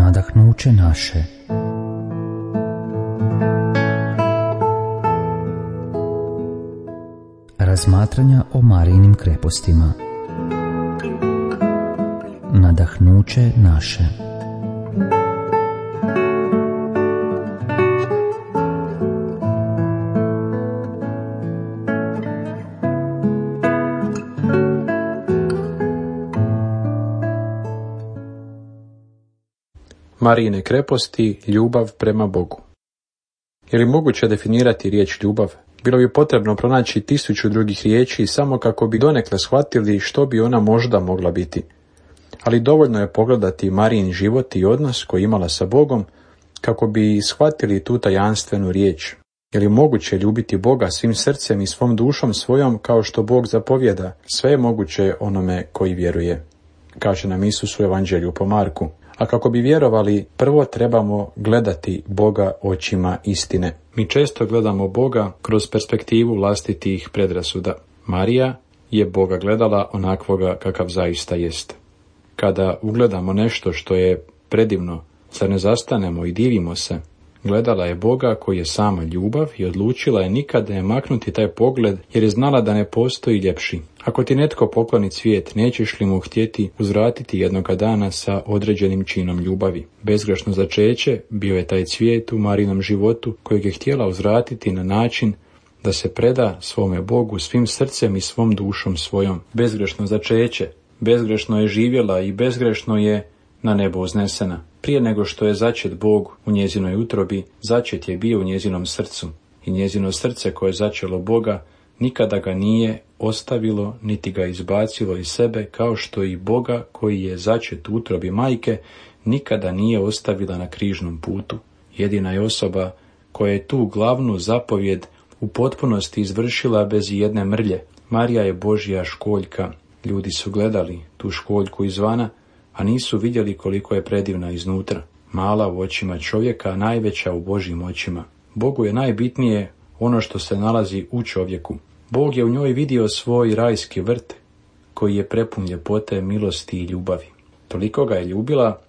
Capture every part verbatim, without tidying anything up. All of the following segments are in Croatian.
nadahnuće naše. Razmatranja o Marijinim krepostima. Nadahnuće naše. Marijine kreposti, ljubav prema Bogu. Je li moguće definirati riječ ljubav? Bilo bi potrebno pronaći tisuću drugih riječi samo kako bi donekle shvatili što bi ona možda mogla biti. Ali dovoljno je pogledati Marijin život i odnos koji je imala sa Bogom kako bi shvatili tu tajanstvenu riječ. Je li moguće ljubiti Boga svim srcem i svom dušom svojom kao što Bog zapovjeda? Sve je moguće onome koji vjeruje, kaže nam Isus u Evanđelju po Marku. A kako bi vjerovali, prvo trebamo gledati Boga očima istine. Mi često gledamo Boga kroz perspektivu vlastitih predrasuda. Marija je Boga gledala onakvoga kakav zaista jest. Kada ugledamo nešto što je predivno, zar ne zastanemo i divimo se? Gledala je Boga koji je sama ljubav i odlučila je nikad ne maknuti taj pogled jer je znala da ne postoji ljepši. Ako ti netko pokloni cvijet, nećeš li mu htjeti uzvratiti jednoga dana sa određenim činom ljubavi? Bezgrešno začeće bio je taj cvijet u Marijinom životu kojeg je htjela uzvratiti na način da se preda svome Bogu svim srcem i svom dušom svojom. Bezgrešno začeće, bezgrešno je živjela i bezgrešno je na nebo uznesena. Prije nego što je začet Bog u njezinoj utrobi, začet je bio u njezinom srcu i njezino srce koje je začelo Boga nikada ga nije ostavilo niti ga izbacilo iz sebe, kao što i Boga koji je začet u utrobi majke nikada nije ostavila na križnom putu. Jedina je osoba koja je tu glavnu zapovjed u potpunosti izvršila bez jedne mrlje. Marija je Božja školjka. Ljudi su gledali tu školjku izvana, a nisu vidjeli koliko je predivna iznutra. Mala u očima čovjeka, najveća u Božjim očima. Bogu je najbitnije ono što se nalazi u čovjeku. Bog je u njoj vidio svoj rajski vrt, koji je prepun ljepote, milosti i ljubavi. Toliko ga je ljubila,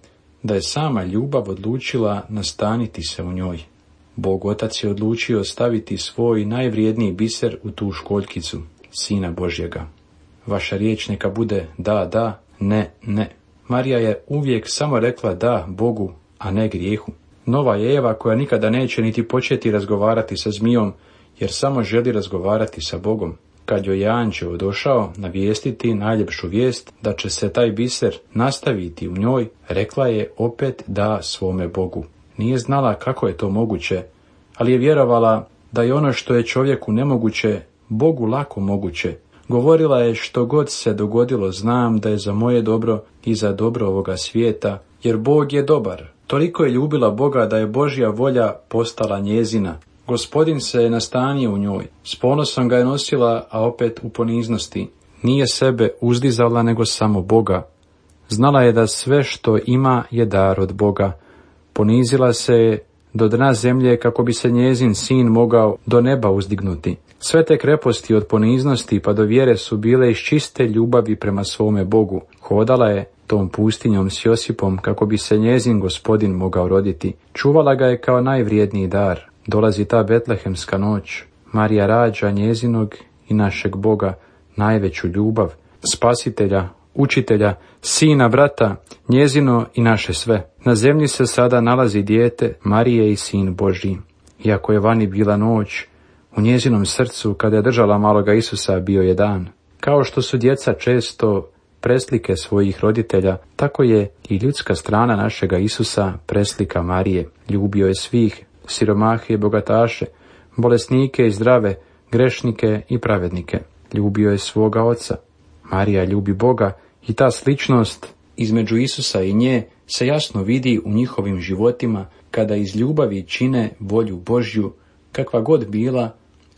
da je sama ljubav odlučila nastaniti se u njoj. Bog Otac je odlučio staviti svoj najvrijedniji biser u tu školjkicu, Sina Božjega. Vaša riječ neka bude da, da, ne, ne. Marija je uvijek samo rekla da Bogu, a ne grijehu. Nova je Eva koja nikada neće niti početi razgovarati sa zmijom, jer samo želi razgovarati sa Bogom. Kad joj je anđeo došao navijestiti najljepšu vijest da će se taj biser nastaviti u njoj, rekla je opet da svome Bogu. Nije znala kako je to moguće, ali je vjerovala da je ono što je čovjeku nemoguće, Bogu lako moguće. Govorila je što god se dogodilo, znam da je za moje dobro i za dobro ovoga svijeta, jer Bog je dobar. Toliko je ljubila Boga da je Božja volja postala njezina. Gospodin se je nastanio u njoj. S ponosom ga je nosila, a opet u poniznosti. Nije sebe uzdizala nego samo Boga. Znala je da sve što ima je dar od Boga. Ponizila se je do dna zemlje kako bi se njezin sin mogao do neba uzdignuti. Sve te kreposti od poniznosti pa do vjere su bile iz čiste ljubavi prema svome Bogu. Hodala je tom pustinjom s Josipom kako bi se njezin Gospodin mogao roditi. Čuvala ga je kao najvrijedniji dar. Dolazi ta betlehemska noć. Marija rađa njezinog i našeg Boga, najveću ljubav, spasitelja, učitelja, sina, brata, njezino i naše sve. Na zemlji se sada nalazi dijete Marije i sin Božji. Iako je vani bila noć, u njezinom srcu, kada je držala maloga Isusa, bio je dan. Kao što su djeca često preslike svojih roditelja, tako je i ljudska strana našega Isusa preslika Marije. Ljubio je svih, siromahe i bogataše, bolesnike i zdrave, grešnike i pravednike. Ljubio je svoga oca. Marija ljubi Boga i ta sličnost između Isusa i nje se jasno vidi u njihovim životima kada iz ljubavi čine volju Božju, kakva god bila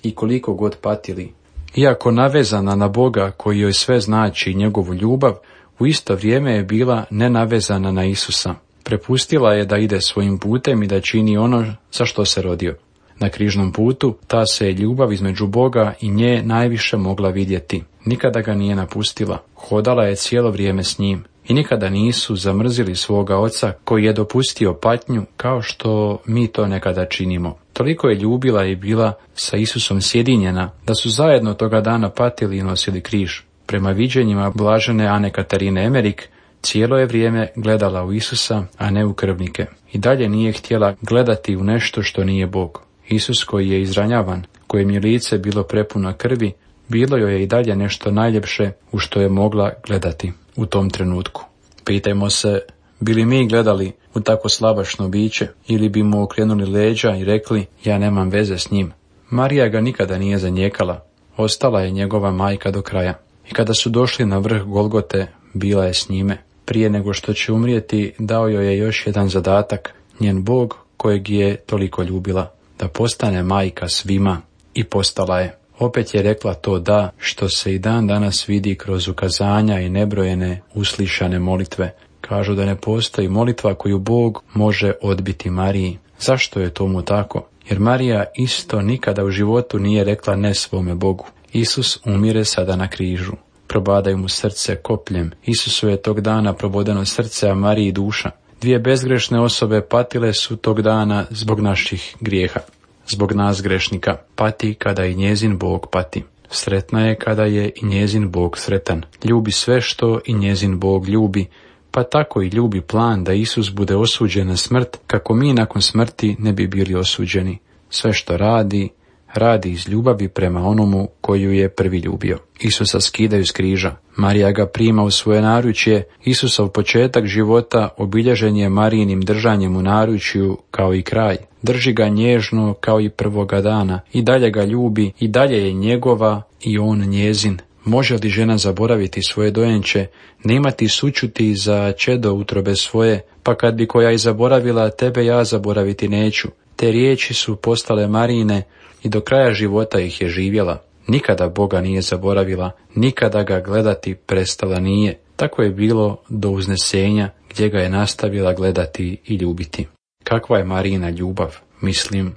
i koliko god patili. Iako navezana na Boga koji joj sve znači i njegovu ljubav, u isto vrijeme je bila nenavezana na Isusa. Prepustila je da ide svojim putem i da čini ono za što se rodio. Na križnom putu ta se je ljubav između Boga i nje najviše mogla vidjeti. Nikada ga nije napustila. Hodala je cijelo vrijeme s njim. i nikada nisu zamrzili svoga oca koji je dopustio patnju kao što mi to nekada činimo. Toliko je ljubila i bila sa Isusom sjedinjena da su zajedno toga dana patili i nosili križ. Prema viđenjima blažene Ane Katarine Emerik, cijelo je vrijeme gledala u Isusa, a ne u krvnike. I dalje nije htjela gledati u nešto što nije Bog. Isus koji je izranjavan, kojem je lice bilo prepuno krvi, bilo joj je i dalje nešto najljepše u što je mogla gledati u tom trenutku. Pitajmo se, bi li mi gledali u tako slabašno biće ili bi mu okrenuli leđa i rekli, ja nemam veze s njim. Marija ga nikada nije zanijekala, ostala je njegova majka do kraja. I kada su došli na vrh Golgote, bila je s njime. Prije nego što će umrijeti, dao joj je još jedan zadatak, njen Bog kojeg je toliko ljubila, da postane majka svima, i postala je. Opet je rekla to da, što se i dan danas vidi kroz ukazanja i nebrojene uslišane molitve. Kažu da ne postoji molitva koju Bog može odbiti Mariji. Zašto je tomu tako? Jer Marija isto nikada u životu nije rekla ne svome Bogu. Isus umire sada na križu. Probadaju mu srce kopljem. Isusu je tog dana probodeno srce, a Mariji duša. Dvije bezgrešne osobe patile su tog dana zbog naših grijeha. Zbog nas grešnika. Pati kada i njezin Bog pati. Sretna je kada je i njezin Bog sretan. Ljubi sve što i njezin Bog ljubi, pa tako i ljubi plan da Isus bude osuđen na smrt, kako mi nakon smrti ne bi bili osuđeni. Sve što radi, radi iz ljubavi prema onomu koju je prvi ljubio. Isusa skidaju s križa. Marija ga prima u svoje naručje. Isusov početak života obilježen je Marijinim držanjem u naručju kao i kraj. Drži ga nježno kao i prvoga dana. I dalje ga ljubi, i dalje je njegova i on njezin. Može li žena zaboraviti svoje dojenče, ne imati sućuti za čedo utrobe svoje, pa kad bi koja i zaboravila, tebe ja zaboraviti neću. Te riječi su postale Marijine i do kraja života ih je živjela. Nikada Boga nije zaboravila, nikada ga gledati prestala nije. Tako je bilo do uznesenja gdje ga je nastavila gledati i ljubiti. Kakva je Marijina ljubav? Mislim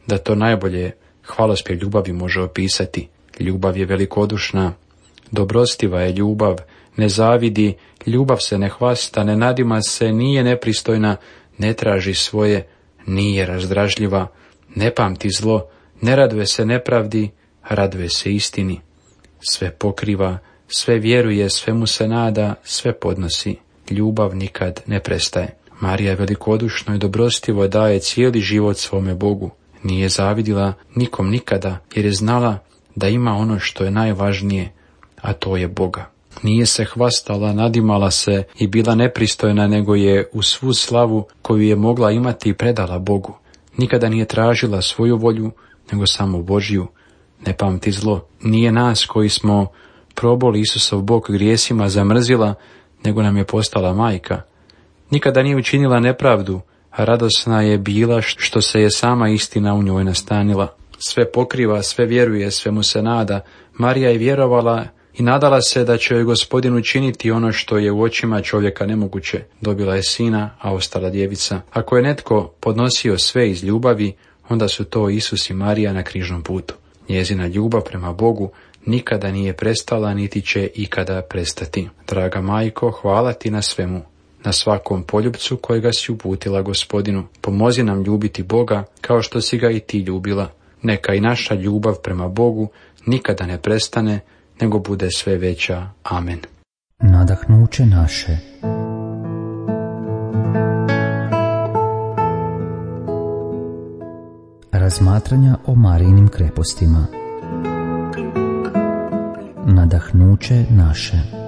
da to najbolje hvalospjev ljubavi može opisati. Ljubav je velikodušna, dobrostiva je ljubav, ne zavidi, ljubav se ne hvasta, ne nadima se, nije nepristojna, ne traži svoje, nije razdražljiva, ne pamti zlo, ne raduje se nepravdi, raduje se istini. Sve pokriva, sve vjeruje, sve mu se nada, sve podnosi. Ljubav nikad ne prestaje. Marija velikodušno i dobrostivo daje cijeli život svome Bogu. Nije zavidila nikom nikada, jer je znala da ima ono što je najvažnije, a to je Boga. Nije se hvastala, nadimala se i bila nepristojna, nego je u svu slavu koju je mogla imati predala Bogu. Nikada nije tražila svoju volju, nego samo Božju. Ne pamti zlo. Nije nas koji smo proboli Isusov bok grijesima zamrzila, nego nam je postala majka. Nikada nije učinila nepravdu, a radosna je bila što se je sama istina u njoj nastanila. Sve pokriva, sve vjeruje, sve mu se nada. Marija je vjerovala i nadala se da će joj Gospodin učiniti ono što je u očima čovjeka nemoguće. Dobila je sina, a ostala djevica. Ako je netko podnosio sve iz ljubavi, onda su to Isus i Marija na križnom putu. Njezina ljubav prema Bogu nikada nije prestala, niti će ikada prestati. Draga majko, hvala ti na svemu, na svakom poljupcu kojega si uputila Gospodinu. Pomozi nam ljubiti Boga kao što si ga i ti ljubila. Neka i naša ljubav prema Bogu nikada ne prestane, nego bude sve veća. Amen. Nadahnuće naše. Razmatranja o Marijinim krepostima. Nadahnuće naše.